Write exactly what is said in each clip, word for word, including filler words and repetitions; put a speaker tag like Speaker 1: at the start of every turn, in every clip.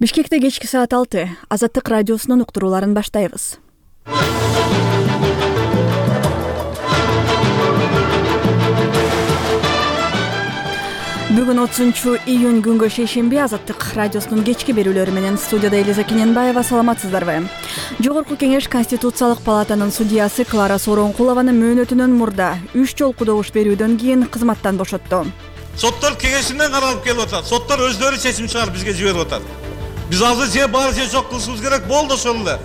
Speaker 1: Бишкекте кечки саат алты. Азаттык радиосунун уктурууларын баштайбыз. Бүгүн отузунчу июнь күнгө шейшемби Азаттык радиосунун кечки берүүлөрү менен студияда Элиза Кененбаева. Саламатсыздарбы? Жогорку кеңеш Конституциялык палатанын судьясы Клара Сооронкулованы мөөнөтүнөн мурда үч жолку добуш берүүдөн кийин кызматтан бошотту.
Speaker 2: Соттор кеңешинен каралып келип атат. Соттор өздөрү чечим чыгарып бизге жиберип атат. Биз азыр же бар же жок кылышыбыз керек. Болду ошол эле.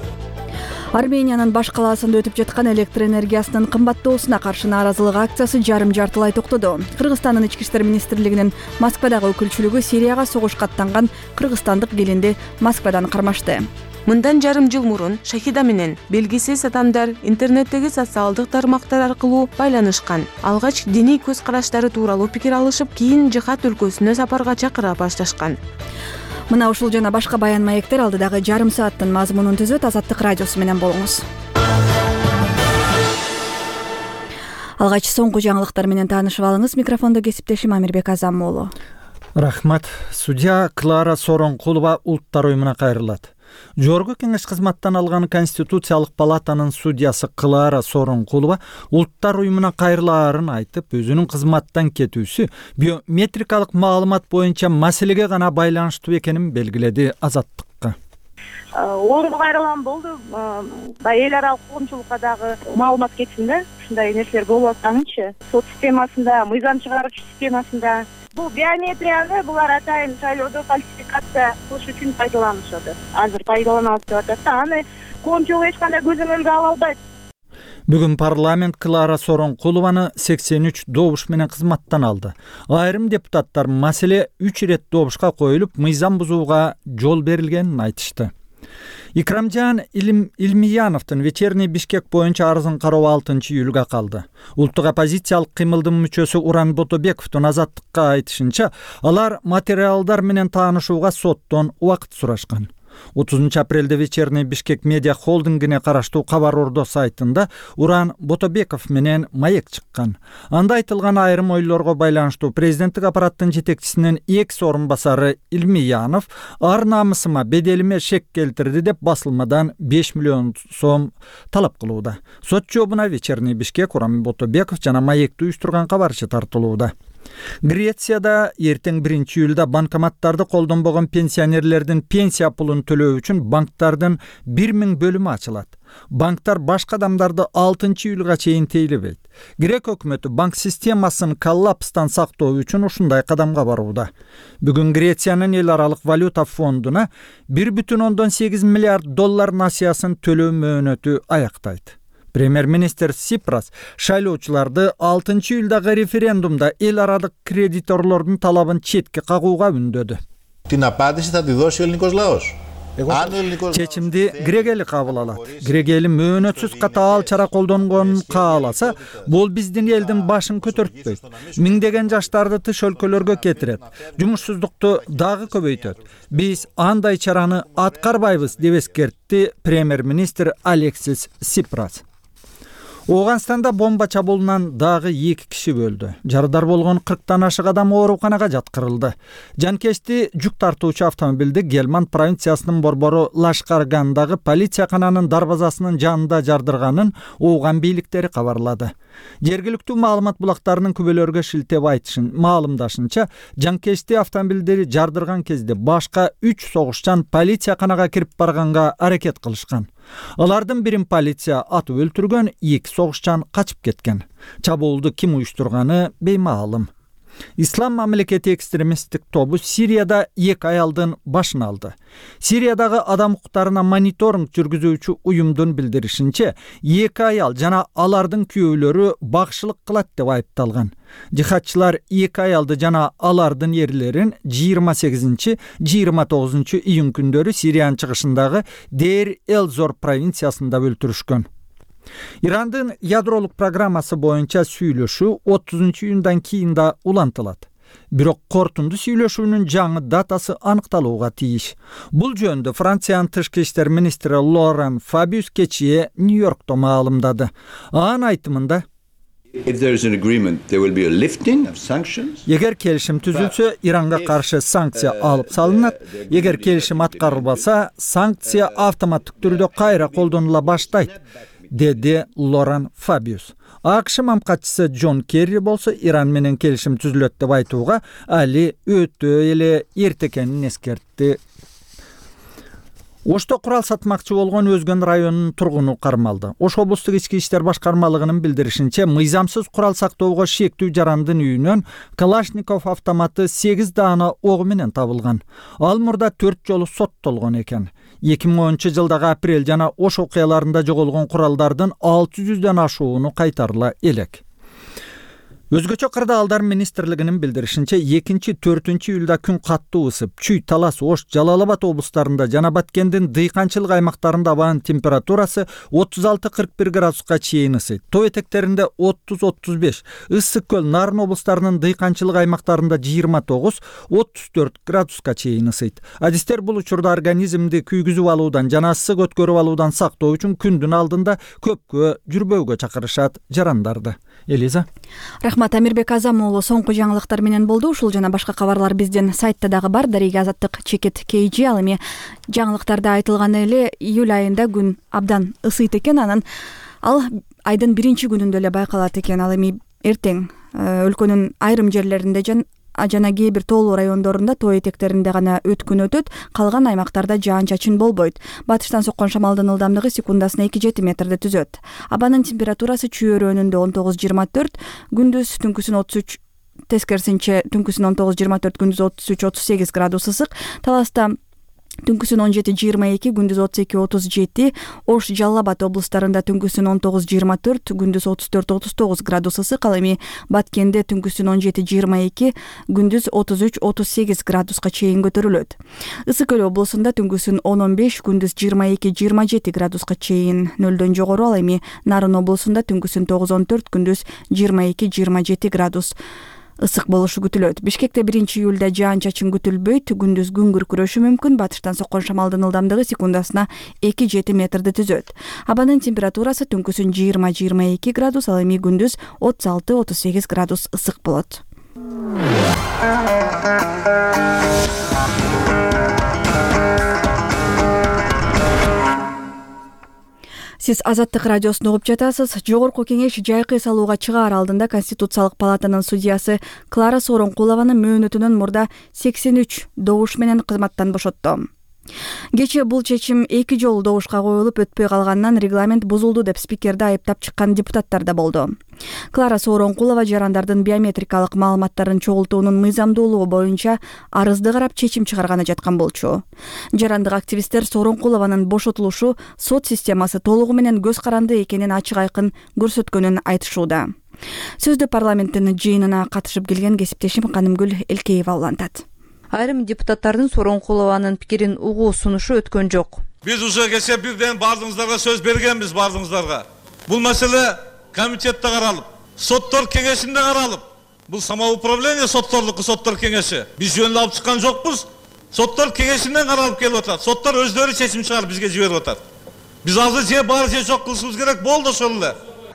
Speaker 1: Армениянын баш калаасында өтүп жаткан электр энергиясынын кымбаттоосуна каршы нааразылык акциясы жарым жартылай токтоду. Кыргызстандын ички иштер министрлигинин Москвадагы өкүлчүлүгү Сирияга согушка аттанган кыргызстандык келинди Москвадан кармашты.
Speaker 3: Мындан жарым жыл мурун Шахида менен белгисиз адамдар интернеттеги социалдык тармактар аркылуу байланышкан. Алгач диний көз караштары тууралуу пикир алышып, кийин жихад өлкөсүнө сапарга чакыра башташкан.
Speaker 1: Мына ушул жана башка баян маектер алдыдагы жарым сааттын мазмунун түзөт. Азаттык радиосу менен болуңуз. Алгач соңку жаңылыктар менен таанышып алыңыз. Микрофондо кесиптешим Амирбек Азам уулу.
Speaker 4: Рахмат. Судья Клара Сооронкулова Улуттар уюмуна кайрылат. Жогорку кеңеш кызматтан алган Конституциялык палатанын судьясы Клара Сооронкулова Улуттар уюмуна кайрылаарын айтып, өзүнүн кызматтан кетүүсү биометрикалык маалымат боюнча маселеге гана байланыштуу экенин белгиледи Азаттыкка.
Speaker 5: Орунга кайрылган болду. Баягы эл аралык коомчулукка дагы маалымат кетсин да. Ушундай нерселер болуп атканынчы. Сот системасында, мыйзам чыгаруучу системасында бул биометрияны булар атайын шайлоодо фальсификация кылыш үчүн пайдаланышат. Азыр пайдаланабыз деп атат да, аны коомчулук эч кандай көзөмөлгө ала албайт.
Speaker 4: Бүгүн парламент Клара Сооронкулованы сексен үч добуш менен кызматтан алды. Айрым депутаттар маселе үч ирет добушка коюлуп, мыйзам бузууга жол берилгенин айтышты. Икрамжан Илим Илмияновдун вечерний Бишкек боюнча арызын кароо алтынчы июлга калды. Улуттук оппозициялык кыймылдын мүчөсү Уран Ботобековдун Азаттыкка айтышынча, алар материалдар менен таанышууга соттон убакыт сурашкан. отузунчу апрелде вечерний Бишкек медиа холдингине караштуу Кабар Ордо сайтында Уран Ботобеков менен маек чыккан. Анда айтылган айрым ойлорго байланыштуу президенттик аппараттын жетекчисинин экс орун басары Илмиянов ар намысыма, беделиме шек келтирди деп басылмадан беш миллион сом талап кылууда. Сот жообуна вечерний Бишкек, Уран Ботобеков жана маекти уюштурган кабарчы тартылууда. Грецияда эртең биринчи июлда банкоматтарды колдонбогон пенсионерлердин пенсия пулун төлөө үчүн банктардын бир миң бөлүмү ачылат. Банктар башка адамдарды алтынчы июлга чейин тейлебейт. Грек өкмөтү банк системасын коллапстан сактоо үчүн ушундай кадамга барууда. Бүгүн Грециянын эл аралык валюта фондуна бир бүтүн ондон сегиз миллиард доллар насыясын төлөө мөөнөтү аяктайт. Премьер-министр Сипрас шайлоочуларды алтынчы июлдагы референдумда эл аралык кредиторлордун талабын четке кагууга үндөдү. Чечимди грек эли кабыл алат. Грек эли мөөнөтсүз катаал чара колдонгонун кааласа, бул биздин элдин башын көтөртпөйт. Миңдеген жаштарды тыш өлкөлөргө кетирет. Жумушсуздукту дагы көбөйтөт. Биз андай чараны аткарбайбыз деп эскертти премьер-министр Алексис Сипрас. Ооганстанда бомба чабуулунан дагы эки киши өлдү. Жарыдар болгон кырктан ашык адам ооруканага жаткырылды. Жанкечти жүк тартуучу автомобилди Гелманд провинциясынын борбору Лашкаргандагы полициякананын дарбазасынын жанында жардырганын Ооган бийликтери кабарлады. Жергиликтүү маалымат булактарынын күбөлөргө шилтеп айтышын маалымдашынча, жанкечти автомобилдери жардырган кезде башка үч согушчан полицияканага кирип барганга аракет кылышкан. Алардын бирин полиция атып өлтүргөн, эки согушчан качып кеткен. Чабуулду ким уюштурганы беймаалым. Ислам мамлекети экстремисттик тобу Сирияда эки аялдын башын алды. Сириядагы адам укуктарына мониторинг жүргүзүүчү уюмдун билдиришинче, эки аял жана алардын күйөөлөрү багышылык кылат деп айыпталган. Жихадчылар эки аялды жана алардын эрлерин жыйырма сегизинчи жыйырма тогузунчу июнь күндөрү Сириянын чыгышындагы Дейр-эль-Зор провинциясында өлтүрүшкөн. Ирандын ядролук программасы боюнча сүйлөшүү отузунчу июндан кийин да улантылат. Бирок кортунду сүйлөшүүнүн жаңы датасы аныкталууга тийиш. Бул жөнүндө Франциянын тышкы иштер министри Лоран Фабиус кечээ Нью-Йоркто маалымдады. Анын айтымында Эгер келишим түзүлсө, Иранга каршы санкция алып салынат. Эгер келишим аткарылбаса, санкция автоматтык түрдө кайра колдонула баштайт, деди Лоран Фабиус. АКШ мамкатчысы Джон Керри болсо Иран менен келишим түзүлөт деп айтууга али өтө эле эрте экенин эскертти. Ошто курал сатмакчы болгон Өзгөн районунун тургуну кармалды. Ош облустук ички иштер башкармалыгынын билдиришинче, мыйзамсыз курал сактоого шектүү жарандын үйүнөн Калашников автоматы сегиз даана ого менен табылган. Ал мурда төрт жолу соттолгон экен. эки миң онунчу жылдагы апрель жана Ош окуяларында жоголгон куралдардын алты жүздөн ашууну кайтарыла элек. Өзгөчө кырдаалдар министрлигинин билдиришинче, экинчи төртүнчү июлда күн каттуу ысып, Чүй, Талас, Ош, Жалал Абад облустарында жана Баткендин дыйканчылык аймактарында абанын температурасы отуз алты кырк бир градуска чейин ысыйт. Тоо этектеринде отуз отуз беш, Ысык көл, Нарын облустарынын дыйканчылык аймактарында жыйырма тогуз отуз төрт градуска чейин ысыйт. Адистер бул учурда организмди күйгүзүп алуудан жана ысык өткөрүп алуудан сактоо үчүн күндүн алдында көпкө жүрбөөгө чакырышат жарандарды. Элиза.
Speaker 1: Рахмат, Амирбек Азам уулу соңку жаңылыктар менен болду. Ушул жана башка кабарлар биздин сайтта дагы бар. Дарига Азаттык чекит кей жи. Ал эми жаңылыктарда айтылган эле июль айында күн абдан ысыйт экен. Анан ал айдын биринчи күнүндө эле байкалат экен. Ал эми эртең өлкөнүн айрым жерлеринде жана жана кээ бир тоолуу райондорунда тоо этектеринде гана өткүн өтөт, калган аймактарда жаан-чачын болбойт. Батыштан соккон шамалдын ылдамдыгы секундасына эки жети метрди түзөт. Абанын температурасы Чүй өрөөнүндө он тогуз жыйырма төрт, күндүз түнкүсүн отуз үч, тескерисинче түнкүсүн он тогуз жыйырма төрт, күндүз отуз үч отуз сегиз градус ысык. Таласта түнкүсүн он жети жыйырма эки, күндүз отуз эки отуз жети, Ош, Жалал Абад облустарында түнкүсүн он тогуз жыйырма төрт, күндүз отуз төрт отуз тогуз градус ысык. Ал эми Баткенде түнкүсүн он жети жыйырма эки, күндүз отуз үч отуз сегиз градуска чейин көтөрүлөт. Ысык көл облусунда түнкүсүн он он беш, күндүз жыйырма эки жыйырма жети градуска чейин нөлдөн жогору. Ал эми Нарын облусунда түнкүсүн тогуз он төрт, күндүз жыйырма эки жыйырма жети градус ысык болушу күтүлөт. Бишкекте биринчи июлда жаан-чачын күтүлбөйт, күндүз күн күркүрөшү мүмкүн. Батыштан соккон шамалдын ылдамдыгы секундасына эки жети метрди түзөт. Абанын температурасы түнкүсүн жыйырма жыйырма эки градус, ал эми күндүз отуз алты отуз сегиз градус ысык болот. Сиз Азаттык радиосун угуп жатасыз. Жогорку кеңеш жайкы салууга чыгаар алдында Конституциялык палатанын судьясы Клара Сооронкулованы мөөнөтүнөн мурда сексен үч добуш менен кызматтан бошотту. Кечээ бул чечим эки жолу добушка коюлуп өтпөй калганынан регламент бузулду деп спикерди айыптап чыккан депутаттар да болду. Клара Сооронкулова жарандардын биометрикалык маалыматтарын чогултуунун мыйзамдуулугу боюнча арызды карап чечим чыгарганы жаткан болчу. Жарандык активисттер Сооронкулованын бошотулушу сот системасы толугу менен көз каранды экенин ачык айкын көрсөткөнүн айтышууда. Сөздү парламенттин жыйынына катышып келген кесиптешим Канымгүл Элкеева улантат.
Speaker 3: Айрым депутаттардын Сооронкулованын пикирин угуу сунушу өткөн жок.
Speaker 2: Биз уже кечээ бирден бардыгыңыздарга сөз бергенбиз, бардыгыңыздарга. Бул маселе комитетте каралып, соттор кеңешинде каралып. Бул самоуправление сотторлуку соттор кеңеши. Биз жөнүндө алып чыккан жокпуз. Соттор кеңешинен каралып келип атат. Соттор өздөрү чечим чыгарып бизге жиберип атат. Биз азыр же бар же жок кылышыбыз керек болду ошол эле.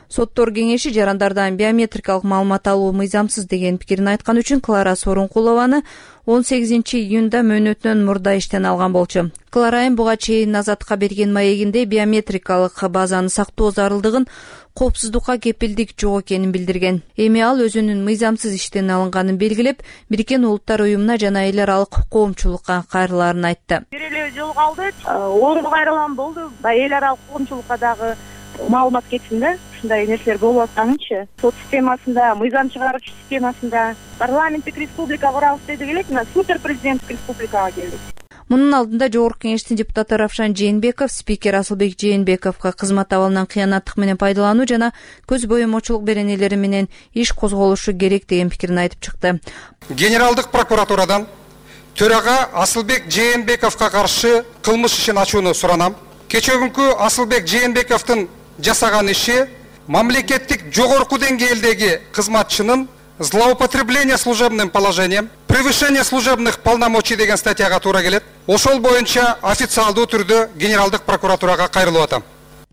Speaker 3: Соттор кеңеши жарандардан биометрикалык маалымат алуу мыйзамсыз деген пикирин айткан үчүн Клара Сооронкулованы он сегизинчи июнда мөөнөтүнөн мурда иштен алган болчу. Клара айым буга чейин Азатка берген маегинде биометрикалык базаны сактоо зарылдыгын, коопсуздукка кепилдик жок экенин билдирген. Эми ал өзүнүн мыйзамсыз иштен алынганын белгилеп, Бириккен Улуттар уюмуна жана эл аралык коомчулукка кайрылаарын айтты.
Speaker 5: Бир эле жол калды, орунду кайрылган болду. Эл аралык коомчулукка дагы маалымат кетсин да, ушундай нерселер болуп атканынчы. Сот системасында, мыйзам чыгаруучу системасында парламенттик республика курабыз деди элек, мына супер президенттик республикага келдик.
Speaker 3: Мунун алдында Жогорку кеңештин депутаты Равшан Жээнбеков спикер Асылбек Жээнбековго кызмат абалынан кыянаттык менен пайдалануу жана көз боемочулук беренелери менен иш козголушу керек деген пикирин айтып чыкты.
Speaker 6: Генералдык прокуратурадан төрага Асылбек Жээнбековго каршы кылмыш ишин ачууну суранам. Кечөгүнкү Асылбек Жээнбековдун жасаган иши мамлекеттик жогорку деңгээлдеги кызматчынын злоупотребление служебным положением, превышение служебных полномочий деген статьяга туура келет. Ошол боюнча официалдуу түрдө Генералдык прокуратурага кайрылып атам.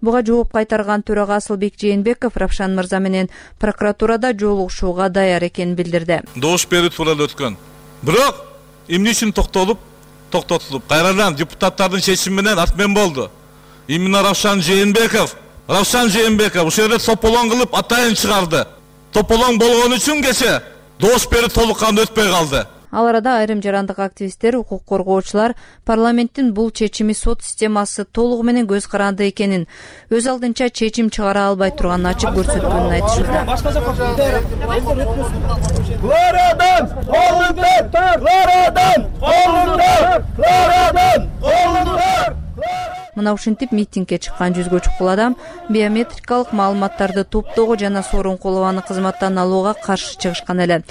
Speaker 7: Буга жооп кайтарган төрага Асылбек Жээнбеков Равшан мырза менен прокуратурада жолугушууга даяр экенин билдирди.
Speaker 2: Добуш берүү тууралуу өткөн. Бирок эмне үчүн токтолуп, токтотулуп, кайрадан депутаттардын чечими менен атмен болду. Именно Равшан Жээнбеков, Равшан Жээнбеков ушул жерде тополоң кылып атайын чыгарды. Тополоң болгон үчүн кече добуш берүү толук кандуу өтпөй калды.
Speaker 7: Ал арада айрым жарандык активисттер, укук коргоочулар парламенттин бул чечими сот системасы толугу менен көз каранды экенин, өз алдынча чечим чыгара албай турганын ачык көрсөткөнүн айтышты.
Speaker 8: Лорадан, олундар, Лорадан, олундар, Лорадан, олундар.
Speaker 7: Мына ушинтип митингге чыккан жүзгө чукул адам биометрикалык маалыматтарды топтоого жана Сооронкулованы кызматтан алууга каршы чыгышкан эле.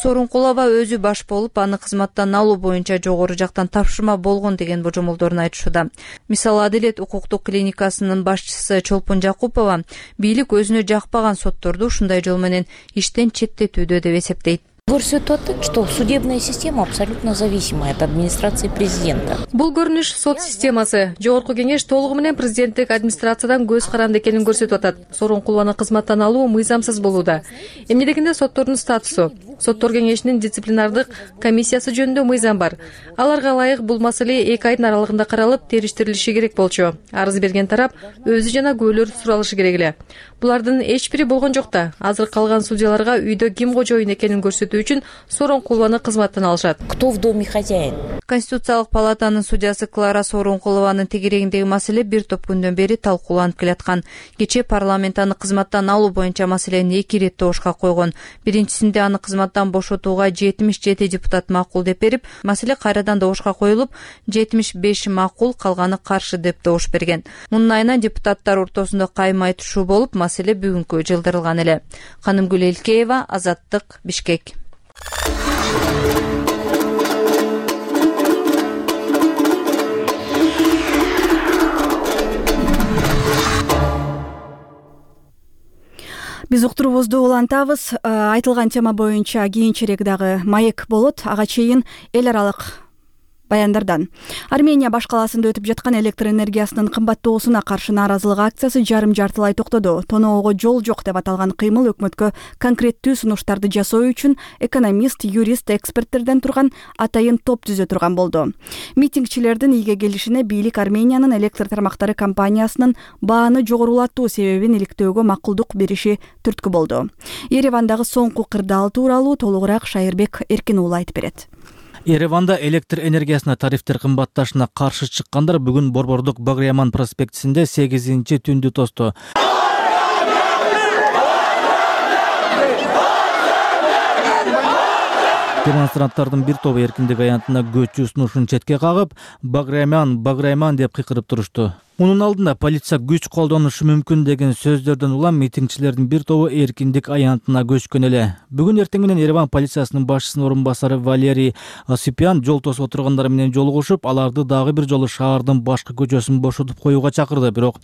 Speaker 7: Сооронкулова өзү баш болуп, аны кызматтан алуу боюнча жогору жактан тапшырма болгон деген божомолдорун айтышууда. Мисалы, Адилет укуктук клиникасынын башчысы Чолпон Жакупова бийлик өзүнө жакпаган сотторду ушундай жол менен иштен четтетүүдө деп эсептейт.
Speaker 9: Көрсөтүп атат, что судебная система абсолютно зависима от администрации президента.
Speaker 10: Бул көрүнүш сот системасы, жогорку кеңеш толугу менен президенттик администрациядан көз каранды экенин көрсөтүп атат. Сооронкулованы кызматтан алуу мыйзамсыз болууда. Эмне дегенде соттордун статусу, соттор кеңешинин дисциплинардык комиссиясы жөнүндө мыйзам бар. Аларга ылайык бул маселе эки айдын аралыгында каралып, териштирилиши керек болчу. Арыз берген тарап өзү жана күбөлөр суралышы керек эле. Булардын эч бири болгон жок да. Азыр калган судьяларга үйдө ким кожоюн экенин көрсөтүү үчүн Сооронкулованы кызматтан алышат.
Speaker 9: Кто в доме хозяин?
Speaker 7: Конституциялык палатанын судьясы Клара Сооронкулованын тегерегиндеги маселе бир топ күндөн бери талкууланып келаткан. Кечээ парламент аны кызматтан алуу боюнча маселени эки ирет добушка койгон. Биринчисинде аны кызматтан бошотууга жетимиш жети депутат макул деп берип, маселе кайрадан добушка коюлуп, жетимиш беш макул, калганы каршы деп добуш берген. Мунун айынан депутаттар ортосунда кайым айтышуу болуп, маселе бүгүнкү жылдырылган эле. Канымгүл Элкеева, Азаттык, Бишкек.
Speaker 1: Биз уктуруубузду улантабыз. Айтылган тема боюнча кийинчерээк дагы маек болот. Ага чейин эл аралык баяндардан. Армения баш калаасында өтүп жаткан электр энергиясынын кымбаттоосуна каршы нааразылык акциясы жарым жартылай токтоду. Тоноого жол жок деп аталган кыймыл өкмөткө конкреттүү сунуштарды жасоо үчүн экономист, юрист, эксперттерден турган атайын топ түзө турган болду. Митингчилердин ийге келишине бийлик Армениянын электр тармактары компаниясынын бааны жогорулатуу себебин иликтөөгө макулдук бериши түрткү болду. Еревандагы соңку кырдаал тууралуу толугураак Шайырбек Эркин уулу айтып берет.
Speaker 11: Ереванда электр энергиясына тарифтер кымбатташына каршы чыккандар бүгүн Борбордук Баграйман проспектисинде сегизинчи түндү тосту. Демонстранттардын бир тобу эркиндик аянтына көчүү сунушун четке кагып, Баграйман, Баграйман деп кыйкырып турушту. Мунун алдында полиция күч колдонушу мүмкүн деген сөздөрдөн улам митингчилердин бир тобу эркиндик аянтына көчкөн эле. Бүгүн эртең менен Ереван полициясынын башчысынын орун басары Валерий Осипян жол тосуп отургандар менен жолугушуп, аларды дагы бир жолу шаардын башкы көчөсүн бошотуп коюуга чакырды, бирок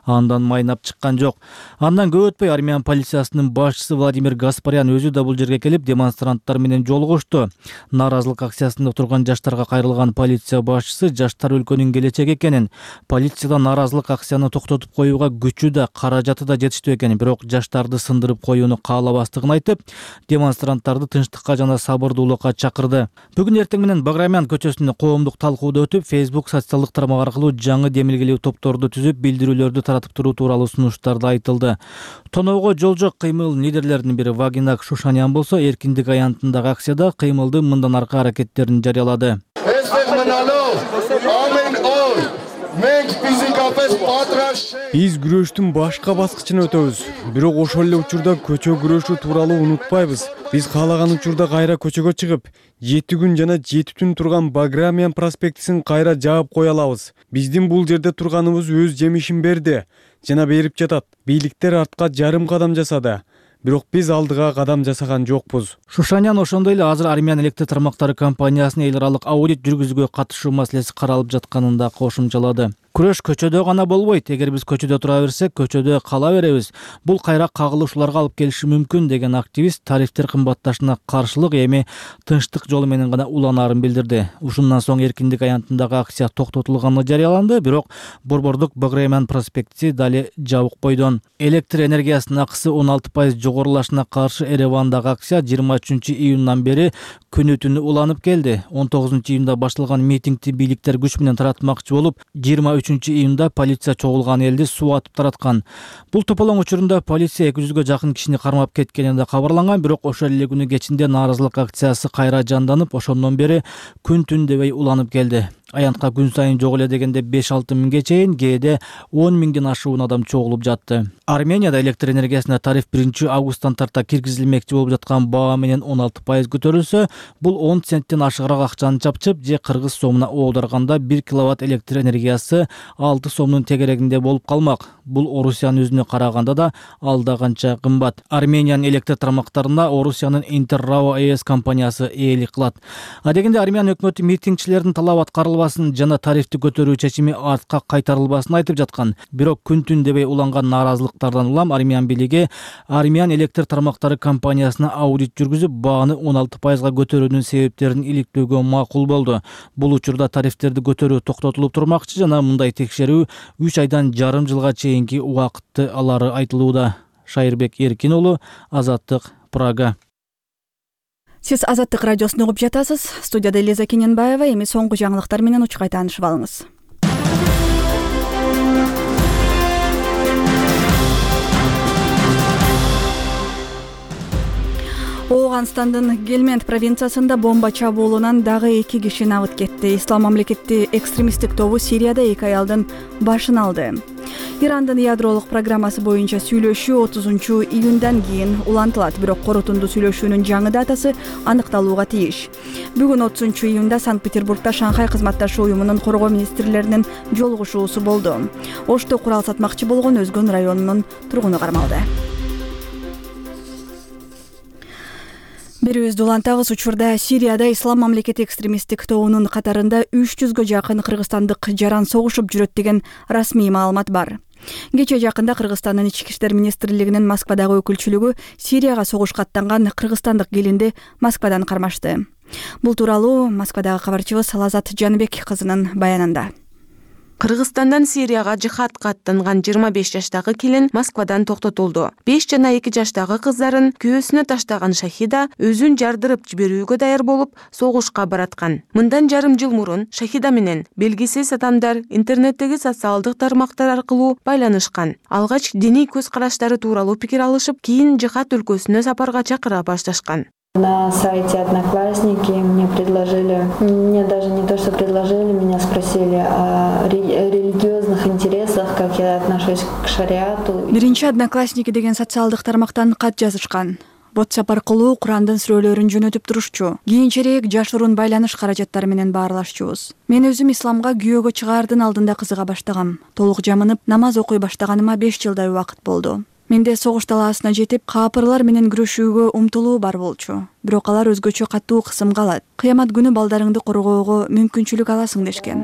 Speaker 11: андан майнап чыккан жок. Андан көп өтпөй Армян полициясынын башчысы Владимир Гаспарян өзү да бул жерге келип демонстранттар менен жолугушту. Нааразылык акциясында отурган жаштарга кайрылган полиция башчысы жаштар өлкөнүн келечеги экенин, полициядан нааразылык акцияны токтотуп коюуга күчү да, каражаты да жетиштүү экенин, бирок жаштарды сындырып коюуну каалабастыгын айтып, демонстранттарды тынчтыкка жана сабырдуулукка чакырды. Бүгүн эртең менен Баграйман көчөсүндө коомдук талкууда өтүп, Facebook социалдык тармак аркылуу жаңы демилгелүү топторду түзүп, билдирүүлөрдү таратып туруу тууралуу сунуштарды айтылды. Тоноого жол жок кыймыл лидерлеринин бири Вагинак Шушанян болсо, эркиндик аянтындагы акцияда кыймылдын мындан аркы аракеттерин жарыялады.
Speaker 12: Биз күрөштүн башка баскычына өтөбүз. Бирок ошол эле учурда көчө күрөшү тууралуу унутпайбыз. Биз каалаган учурда кайра көчөгө чыгып, жети күн жана жети түн турган Баграйман проспектисин кайра жаап кое алабыз. Биздин бул жерде турганыбыз өз жемишин берди жана берип жатат. Бийликтер артка жарым кадам жасады. Бирок биз алдыга кадам жасаган жокпуз.
Speaker 11: Шушанян ошондой эле азыр Армян электр тармактары компаниясынын эл аралык аудит жүргүзүүгө катышуу маселеси каралып жатканын да кошумчалады. Күрөш көчөдө гана болбойт. Эгер биз көчөдө тура берсек, көчөдө кала беребиз. Бул кайра кагылышууларга алып келиши мүмкүн деген активист тарифтер кымбатташына каршылык эми тынчтык жолу менен гана уланаарын билдирди. Ушундан соң эркиндик аянтындагы акция токтотулганы жарыяланды, бирок Борбордук Баграйман проспекти дали жабык бойдон. Электр энергиясынын акысы он алты пайыз жогорулашына каршы Еревандагы акция жыйырма үчүнчү июндан бери күнү түнү уланып келди. он тогузунчу июнда башталган митингди бийликтер күч менен таратмакчы болуп, жыйырма үчүнчү июнда полиция чогулган элди суу атып тараткан. Бул тополоң учурунда полиция эки жүзгө жакын кишини кармап кеткени да кабарланган, бирок ошол эле күнү кечинде нааразылык акциясы кайра жанданып, ошондон бери күн түн дебей уланып келди. Аянтка күн сайын жок эле дегенде беш алты миңге чейин, кээде он миңден ашуун адам чогулуп жатты. Арменияда электр энергиясына тариф биринчи августтан тарта киргизилмекчи болуп жаткан баа менен он алты пайыз көтөрүлсө, бул он центтен ашыгыраак акчаны чапчып, же кыргыз сомуна оодарганда бир киловатт электр энергиясы алты сомдун тегерегинде болуп калмак. Бул Орусиянын өзүнө караганда да алда канча кымбат. Армениянын электр тармактарына Орусиянын Интеррао ЭС компаниясы ээлик кылат. А дегенде Армян өкмөтү митингчилердин талабы аткарылбасын жана тарифти көтөрүү чечими артка кайтарылбасын айтып жаткан. Бирок күн түн дебей уланган нааразылыктардан улам Армян бийлиги Армян электр тармактары компаниясына аудит жүргүзүп, бааны он алты пайызга көтөрүүнүн себептерин иликтөөгө макул болду. Бул учурда тарифтерди көтөрүү токтотулуп турмакчы жана мындай текшерүү үч айдан жарым жылга чейинки убакытты алары айтылууда. Шайырбек Эркин уулу, Азаттык, Прага.
Speaker 1: Сиз Азаттык радиосун угуп жатасыз. Студияда Элиза Кененбаева. Эми соңку жаңылыктар менен учкай таанышып алыңыз. Ооганстандын Гельмент провинциясында бомба чабуулунан дагы эки киши набыт кетти. Ислам мамлекети экстремисттик тобу Сирияда эки аялдын башын алды. Ирандын ядролук программасы боюнча сүйлөшүү отузунчу июндан кийин улантылат, бирок корутунду сүйлөшүүнүн жаңы датасы аныкталууга тийиш. Бүгүн отузунчу июнда Санкт-Петербургда Шанхай кызматташуу уюмунун коргоо министрлеринин жолугушуусу болду. Ошто курал сатмакчы болгон Өзгөн районунун тургуну кармалды. Берүүбүздү улантабыз. Учурда Сирияда Ислам мамлекети экстремисттик тобунун катарында үч жүзгө жакын кыргызстандык жаран согушуп жүрөт деген расмий маалымат бар. Кече жакында Кыргызстандын ички иштер министрлигинин Москвадагы өкүлчүлүгү Сирияга согушка аттанган кыргызстандык келинди Москвадан кармашты. Бул тууралуу Москвадагы кабарчыбыз Лазат Жаныбек кызынын баянында.
Speaker 3: Кыргызстандан Сирияга жихадка аттанган жыйырма беш жаштагы келин Москвадан токтотулду. беш жана эки жаштагы кыздарын күйөөсүнө таштаган Шахида өзүн жардырып жиберүүгө даяр болуп согушка бараткан. Мындан жарым жыл мурун Шахида менен белгисиз адамдар интернеттеги социалдык тармактар аркылуу байланышкан. Алгач диний көз караштары тууралуу пикир алышып, кийин жихад өлкөсүнө сапарга чакыра башташкан.
Speaker 13: На сайте Одноклассники мне предложили, мне даже не то, что предложили, меня спросили о религиозных интересах, как я отношусь к шариату.
Speaker 1: Биринчи Одноклассники деген социалдык тармактан кат жазышкан. WhatsApp аркылуу Курандын сүрөлөрүн жөнөтүп турушчу. Кийинчерээк жашыруун байланыш каражаттары менен баарлашчубуз. Мен өзүм исламга күйөөгө чыгаардын алдында кызыга баштагам. Толук жамынып, намаз окуй баштаганыма беш жылдай убакыт болду. Менде согуш талаасына жетип, каапырлар менен күрөшүүгө умтулуу бар болчу. Бирок алар өзгөчө катуу кысымга алат. Кыямат күнү балдарыңды коргоого мүмкүнчүлүк аласың дешкен.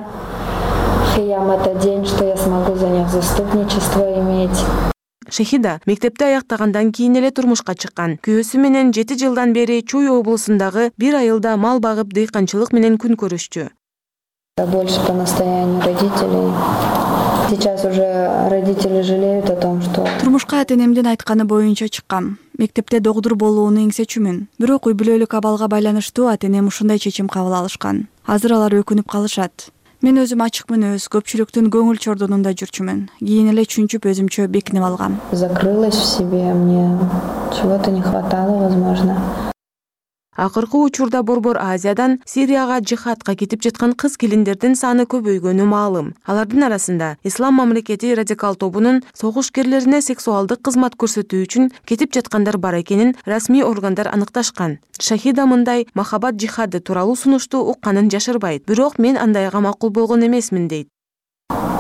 Speaker 13: Кыям — это день, что я смогу за них заступничество иметь.
Speaker 3: Шахида мектепти аяктагандан кийин эле турмушка чыккан. Күйөөсү менен жети жылдан бери Чуй облусундагы бир айылда мал багып дыйканчылык менен күн көрүшчү.
Speaker 13: Больше по настоянию родителей. Сейчас уже родители жалеют о том, что...
Speaker 1: Турмушка атенемдин айтканы боюнча чыккам. Мектепте догдур болууну эңсечүмүн. Бирок үй бүлөлүк абалга байланыштуу атенем ушундай чечим кабыл алышкан. Азыр алар өкүнүп калышат. Мен өзүм ачык мүнөз, көпчүлүктүн көңүл чордонунда жүрчүмүн. Кийин эле чүнчүп өзүмчө бекинип алгам.
Speaker 13: Закрылась в себе, мне чего-то не хватало, возможно.
Speaker 3: Акыркы учурда Борбор Азиядан Сирияга жихадка кетип жаткан кыз келиндердин саны көбөйгөнү маалым. Алардын арасында Ислам мамлекети радикал тобунун согушкерлерине сексуалдык кызмат көрсөтүү үчүн кетип жаткандар бар экенин расмий органдар аныкташкан. Шахида мындай махабат жихады тууралуу сунушту укканын жашырбайт. Бирок мен андайга макул болгон эмесмин дейт.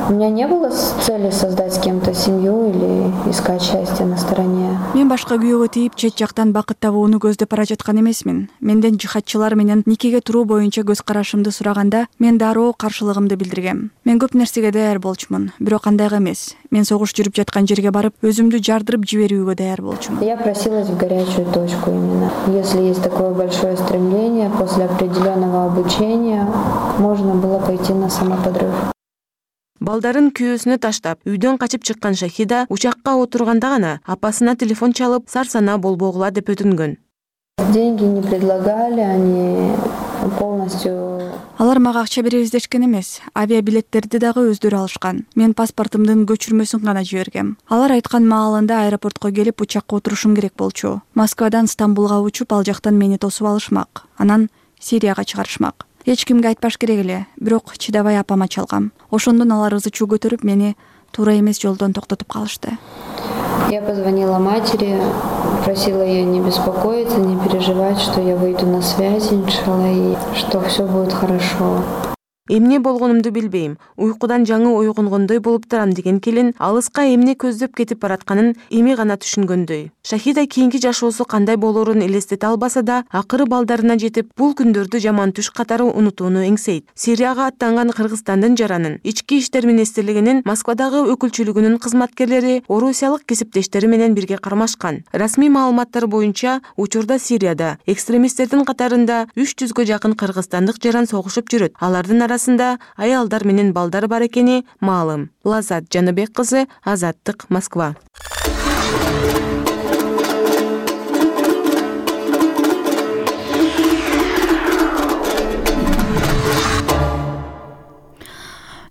Speaker 13: У меня не было цели создать с кем-то семью или искать счастье на стороне.
Speaker 1: Мен башка күйөөгө тийип чет жактан бакыт табууну көздөп бара жаткан эмесмин. Менден жихадчылар менен никеге туруу боюнча көз карашымды сураганда мен дароо каршылыгымды билдиргем. Мен көп нерсеге даяр болчумун, бирок андайга эмес. Мен согуш жүрүп жаткан жерге барып, өзүмдү жардырып жиберүүгө даяр болчумун.
Speaker 13: Я просилась в горячую точку именно. Если есть такое большое стремление, после определенного обучения можно было пойти на самоподрыв.
Speaker 3: Балдарын күйөөсүнө таштап, үйдөн качып чыккан Шахида учакка отурганда гана апасына телефон чалып, сарсана болбогула деп өтүнгөн.
Speaker 13: Деньги не предлагали, они полностью...
Speaker 1: Алар мага акча беребиз дешкен эмес. Авиабилеттерди дагы өздөрү алышкан. Мен паспортумдун көчүрмөсүн гана жибергем. Алар айткан маалында аэропортко келип учакка отурушум керек болчу. Москвадан Стамбулга учуп, ал жактан мени тосуп алышмак. Анан Сирияга чыгарышмак. Эч кимге айтпаш керек эле, бирок чыдабай апама чалгам. Ошондон алар ызы чуу көтөрүп, мени туура эмес жолдон токтотуп калышты.
Speaker 13: Я позвонила матери, просила ее не беспокоиться, не переживать, что я выйду на связь, иншалла, и что все будет хорошо.
Speaker 3: Эмне болгонумду билбейм. Уйкудан жаңы ойгонгондой болуп турам деген келин алыска эмне көздөп кетип баратканын эми гана түшүнгөндөй. Шахида кийинки жашоосу кандай болорун элестете албаса да, акыры балдарына жетип, бул күндөрдү жаман түш катары унутууну эңсейт. Сирияга аттанган Кыргызстандын жаранын, ички иштер министрлигинин Москвадагы өкүлчүлүгүнүн кызматкерлери орусиялык кесиптештери менен бирге кармашкан. Расмий маалыматтар боюнча, учурда Сирияда экстремисттердин катарында үч жүзгө жакын кыргызстандык жаран согушуп жүрөт. Алардын арасында аялдар менен балдар бар экени маалым. Лазат Жаныбек кызы, Азаттык, Москва.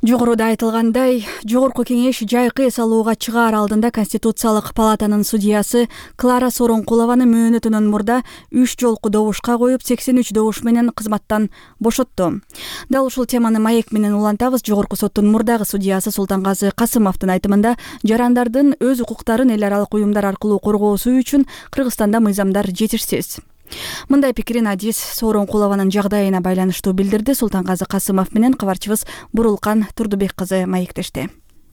Speaker 1: Жогоруда айтылгандай, Жогорку кеңеш жайкы эс алууга чыгаар алдында Конституциялык палатанын судьясы Клара Сооронкулованы мөөнөтүнөн мурда үч жолку добушка коюп, сексен үч добуш менен кызматтан бошотту. Дал ушул теманы маек менен улантабыз. Жогорку соттун мурдагы судьясы Султангазы Касымовдун айтымында, жарандардын өз укуктарын эл аралык уюмдар аркылуу коргоосу үчүн Кыргызстанда мыйзамдар жетишсиз. Мындай пикирин Адис Сооронкулованын жагдайына байланыштуу билдирди. Султангазы Касымов менен кабарчыбыз Бурулкан Турдубек кызы маектешти.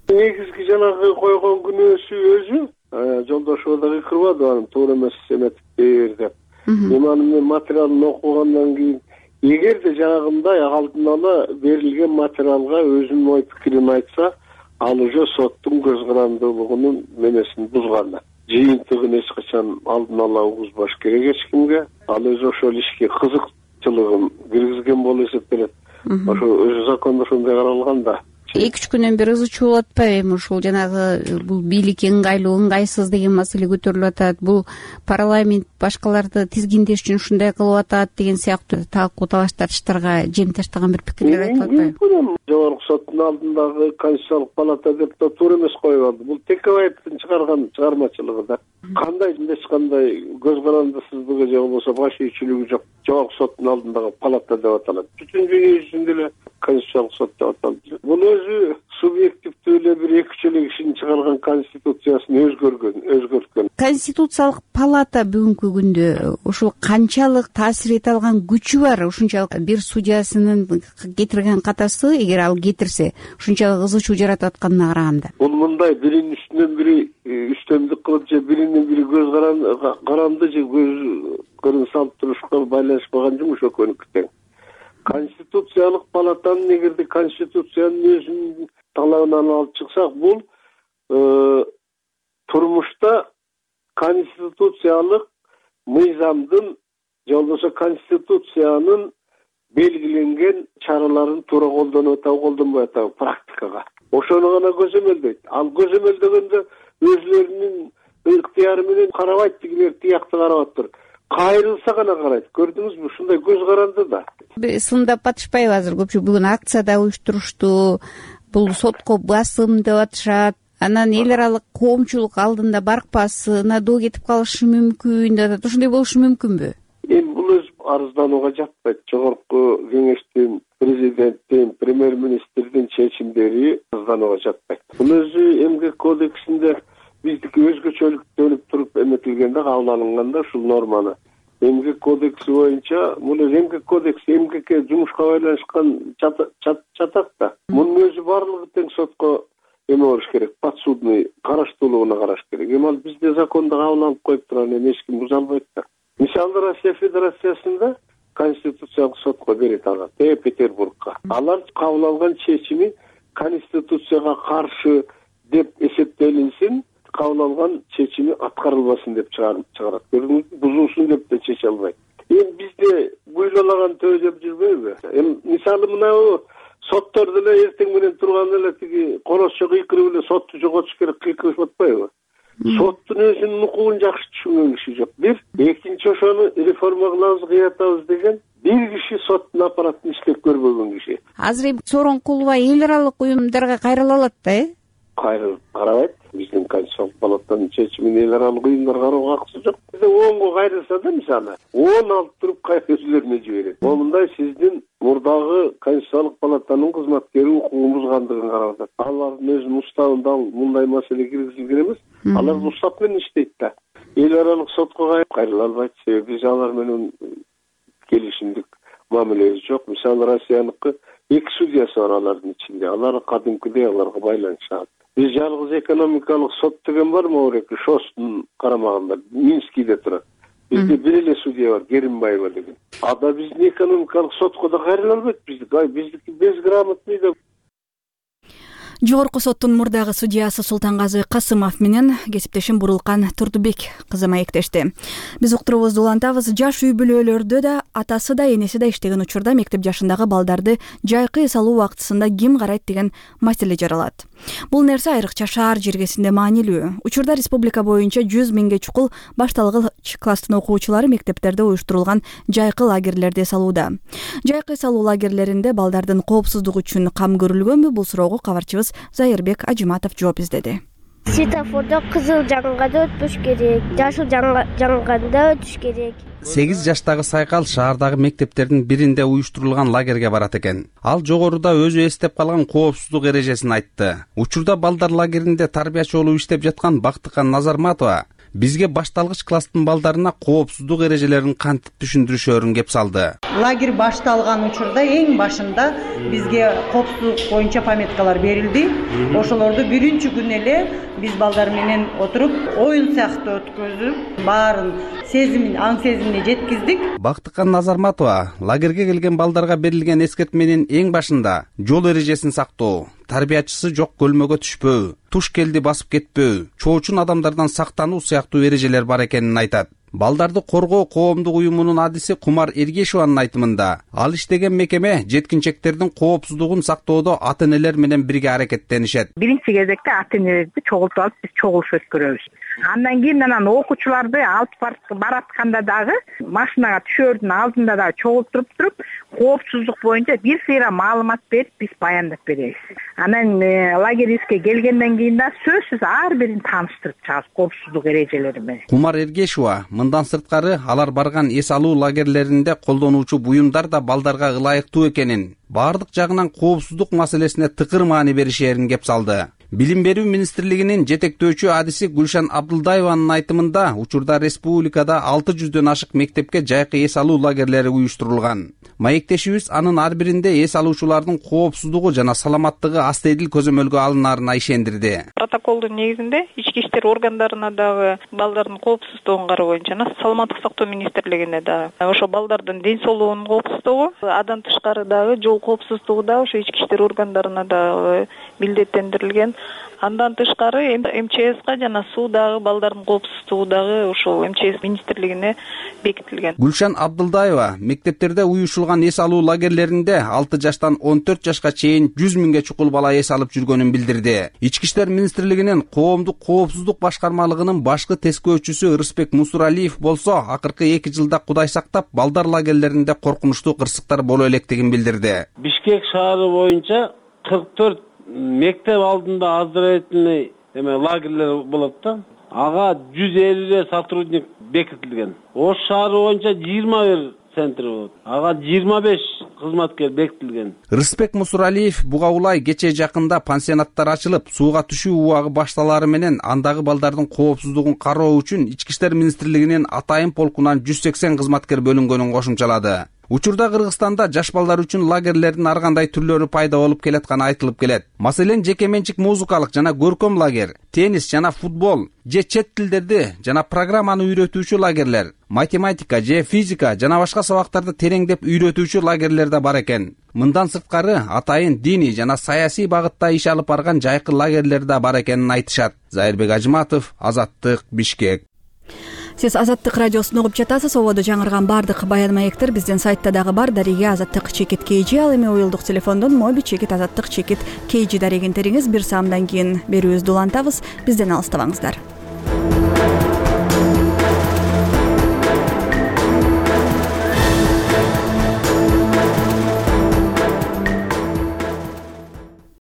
Speaker 14: Негизги жанагы койгон күнөөсү өзү жолдошуна дагы кырбады, анын туура эмес эметип бер деп. Эми анын материалын окугандан кийин, эгерде жанагындай алдын ала берилген материалга өзүнүн ой пикирин айтса, ал уже соттун көз карандуулугунун менесин бузган. Жыйынтыгын эч качан алдын ала угузбаш керек эч кимге. Ал өзү ошол ишке кызыкчылыгын киргизген болуп эсептелет. Ошо өзү закондо ошондой каралган да.
Speaker 15: эки үч күнөн бери ызы чуулуп атпайбы? Ушул жанагы бул бийликке ыңгайлуу, ыңгайсыз деген маселе көтөрүлүп атат. Бул парламент башкаларды тизгиндеш үчүн ушундай кылып атат деген сыяктуу талкуу талаш тартыштарга жем таштаган бир пикирлер айтылып атпайбы?
Speaker 14: Жогорку соттун алдындагы Конституциялык палата деп да туура эмес коюп алды. Бул Текебаевдин чыгарган чыгармачылыгы да. Кандай эч кандай көз карандысыздыгы же болбосо баш ийүүчүлүгү жок. Жогорку соттун алдындагы палата деп аталат. Бүтүн дүйнө жүзүндө эле Конституциялык сот деп аталат. Бул өзү субъективдүү эле бир эки үч эле кишинин чыгарган конституциясын өзгөргөн, өзгөрткөн.
Speaker 15: Конституциялык палата бүгүнкү күндө ушул канчалык таасир эте алган күчү бар? Ушунчалык бир судьясынын кетирген катасы, эгер ал кетирсе, ушунчалык ызы чуу жаратып атканына караганда.
Speaker 14: Бул мындай биринин үстүнөн бири үстөмдүк кылып же биринин бири көз каранды же көз көрүн салып турушка байланышпаган жумуш экөөнүкү тең. Конституциялык палатанын эгерде конституциянын өзүнүн талабынан алып чыксак, бул турмушта конституциялык мыйзамдын же болбосо конституциянын белгиленген чараларын туура колдонуп атабы, колдонбой атабы практикага. Ошону гана көзөмөлдөйт. Ал көзөмөлдөгөндө өзүлөрүнүн ыктыяры менен карабайт, тигилер тиякты карап атыр. Кайрылса гана карайт. Көрдүңүзбү? Ушундай көз каранды да.
Speaker 15: Сындап атышпайбы азыр? Көпчүлүк бүгүн акцияда уюштурушту. Бул сотко басым деп атышат. Анан эл аралык коомчулук алдында баркпасына доо кетип калышы мүмкүн деп атат. Ошондой болушу мүмкүнбү?
Speaker 14: Эми бул өз арызданууга жатпайт. Жогорку кеңештин, президенттин, премьер-министрдин чечимдери арызданууга жатпайт. Бул өзү эмгек кодексинде биздики өзгөчөлүктөнүп туруп эметилгенде, кабыл алынганда ушул норманы. Эмгек кодекси боюнча, бул эмгек кодекси эмгекке жумушка байланышкан чатак да. Мунун өзү баардыгы тең сотко эме болуш керек, подсудный караштуулугуна караш керек. Эми ал бизде закондо кабыл алып коюп турган эми эч ким буза албайт да. Мисалы Россия Федерациясында Конституциялык сотко берет ага, Петербургка. Алар кабыл алган чечими Конституцияга каршы деп эсептелинсин, кабыл алган чечими аткарылбасын деп чыгарат. Көрдүңүзбү, бузулсун деп да чече албайт. Эми бизде буйлаган төө деп жүрбөйбү? Эми мисалы мына соттор деле эртең менен турганда эле тиги коросчо кыйкырып эле сотту жоготуш керек кыйкырышып атпайбы? Соттун өзүнүн укугун жакшы түшүнгөн киши жок. Бир, экинчи ошону реформа кылабыз, кыятабыз деген бир киши соттун аппаратын иштеп көрбөгөн киши.
Speaker 15: Азыр Сооронкулова эл аралык уюмдарга кайрыла алат да, э?
Speaker 14: Кайрылып карабайт. Биздин Конституциялык палатанын чечимин эл аралык уюмдар кароого акысы жок. Бизде онго кайрылса да мисалы, он алып туруп кайра өзүлөрүнө жиберет. Момундай сиздин мурдагы Конституциялык палатанын кызматкери укугун бузгандыгын карап атат. Алардын өзүнүн уставында мындай маселе киргизилген эмес. Алар устав менен иштейт да. Эл аралык сотко кайрыла албайт, себеби биз алар менен келишимдик мамилебиз жок. Мисалы Россияныкы эки судьясы бар алардын ичинде. Алар кадимкидей аларга байланышат. Биз жалгыз экономикалык сот деген бар Мауреки Шостун карамагында, Минскийде турат. Бизде бир эле судья бар, Керимбаева деген. Ада биздин экономикалык сотко да кайрыла албайт. Биздики безграмотный да.
Speaker 1: Жогорку соттун мурдагы судьясы Султангазы Касымов менен кесиптешим Бурулкан Турдубек кызы маектешти. Биз уктурубузду улантабыз. Жаш үй бүлөлөрдө да атасы да энеси да иштеген учурда мектеп жашындагы балдарды жайкы эс алуу убактысында ким карайт деген маселе жаралат. Бул нерсе айрыкча шаар жергесинде маанилүү. Учурда республика боюнча жүз миңге чукул башталгыч класстын окуучулары мектептерде уюштурулган жайкы лагерлерде эс алууда. Жайкы эс алуу лагерлеринде балдардын коопсуздугу үчүн кам көрүлгөнбү? Бул суроого кабарчыбыз Зайырбек Ажиматов жооп издеди.
Speaker 16: Светофордо кызыл жанганда өтүш керек, жашыл жанганда өтүш керек.
Speaker 17: сегиз жаштагы Сайкал шаардагы мектептердин биринде уюштурулган лагерге барат экен. Ал жогоруда өзү эстеп калган коопсуздук эрежесин айтты. Учурда балдар лагеринде тарбиячы болуп иштеп жаткан Бактыкан Назарматова бизге башталгыч класстын балдарына коопсуздук эрежелерин кантип түшүндүрүшөрүн кеп салды.
Speaker 18: Лагерь башталган учурда эң башында бизге коопсуздук боюнча пометкалар берилди. Ошолорду биринчи күн эле биз балдар менен отуруп, оюн сыяктуу өткөзүп, баарын сезимин, аң сезимине жеткиздик.
Speaker 17: Бактыкан Назарматова лагерге келген балдарга берилген эскертменин эң башында жол эрежесин сактоо, тарбиячысы жок көлмөгө түшпөө, туш келди басып кетпөө, чоочун адамдардан сактануу сыяктуу эрежелер бар экенин айтат. Балдарды коргоо коомдук уюмунун адиси Кумар Эргешеванын айтымында, ал иштеген мекеме жеткинчектердин коопсуздугун сактоодо ата-энелер менен бирге аракеттенишет.
Speaker 19: Биринчи кезекте ата-энелерди чогултуп алып биз чогулуш өткөрөбүз. Андан кийин анан окуучуларды алып баратканда дагы машинага түшөөрдүн алдында дагы чогултуруп туруп, коопсуздук боюнча бир сыйра маалымат берип биз баяндап беребиз. Анан лагерибизге келгенден кийин да сөзсүз ар бирин тааныштырып чыгабыз коопсуздук эрежелери менен.
Speaker 17: Кумар Эргешева мындан сырткары алар барган эс алуу лагерлеринде колдонуучу буюмдар да балдарга ылайыктуу экенин, баардык жагынан коопсуздук маселесине тыкыр маани беришерин кеп салды. Билим берүү министрлигинин жетектөөчү адиси Гүлшан Абдулдаеванын айтымында, учурда республикада алты жүздөн ашык мектепке жайкы эс алуу лагерлери уюштурулган. Маектешибиз анын ар биринде эс алуучулардын коопсуздугу жана саламаттыгы астедил көзөмөлгө алынарына ишендирди.
Speaker 20: Протоколдун негизинде ички иштер органдарына дагы балдардын коопсуздугун кароо боюнча саламаттык сактоо министрлигине дагы ошо балдардын ден соолугунун коопсуздугу, андан тышкары дагы жол коопсуздугу да ошо ички иштер органдарына дагы милдеттендирилген. Андан тышкары эм че эске жана суудагы балдардын коопсуздугу дагы ошол эм че эс министрлигине бекитилген.
Speaker 17: Гүлшан Абдулдаева мектептерде уюшулган эс алуу лагерлеринде алты жаштан он төрт жашка чейин жүз миңге чукул бала эс алып жүргөнүн билдирди. Ички иштер министрлигинин коомдук коопсуздук башкармалыгынын башкы тескөөчүсү Ырысбек Мусуралиев болсо, акыркы эки жылда Кудай сактап балдар лагерлеринде коркунучтуу кырсыктар боло электигин билдирди.
Speaker 21: Бишкек шаары боюнча кырк төрт мектеп алдында оздоровительный эме лагерлер болот да. Ага жүз элүү сотрудник бекитилген. Ош шаары боюнча жыйырма бир центр болот. Ага жыйырма беш кызматкер бекитилген.
Speaker 17: Рыспек Мусуралиев буга улай кече жакында пансионаттар ачылып, сууга түшүү убагы башталары менен андагы балдардын коопсуздугун кароо үчүн Ички иштер министрлигинин атайын полкунан жүз сексен кызматкер бөлүнгөнүн кошумчалады. Учурда Кыргызстанда жаш балдар үчүн лагерлердин ар кандай түрлөрү пайда болуп келатканы айтылып келет. Маселен, жеке менчик музыкалык жана көркөм лагер, теннис жана футбол же чет тилдерди жана программаны үйрөтүүчү лагерлер, математика же физика жана башка сабактарды тереңдеп үйрөтүүчү лагерлер да бар экен. Мындан сырткары атайын диний жана саясий багытта иш алып барган жайкы лагерлер да бар экенин айтышат. Зайырбек Ажыматов, Азаттык, Бишкек.
Speaker 1: Сиз Азаттык радиосун угуп жатасыз. Ободо жаңырган бардык баян маектер биздин сайтта дагы бар. Дареге Азаттык чекит kg. Ал эми уюлдук телефондон моби чекит азаттык чекит kg дарегин териңиз. Бир саамдан кийин берүүбүздү улантабыз. Бизден алыстабаңыздар.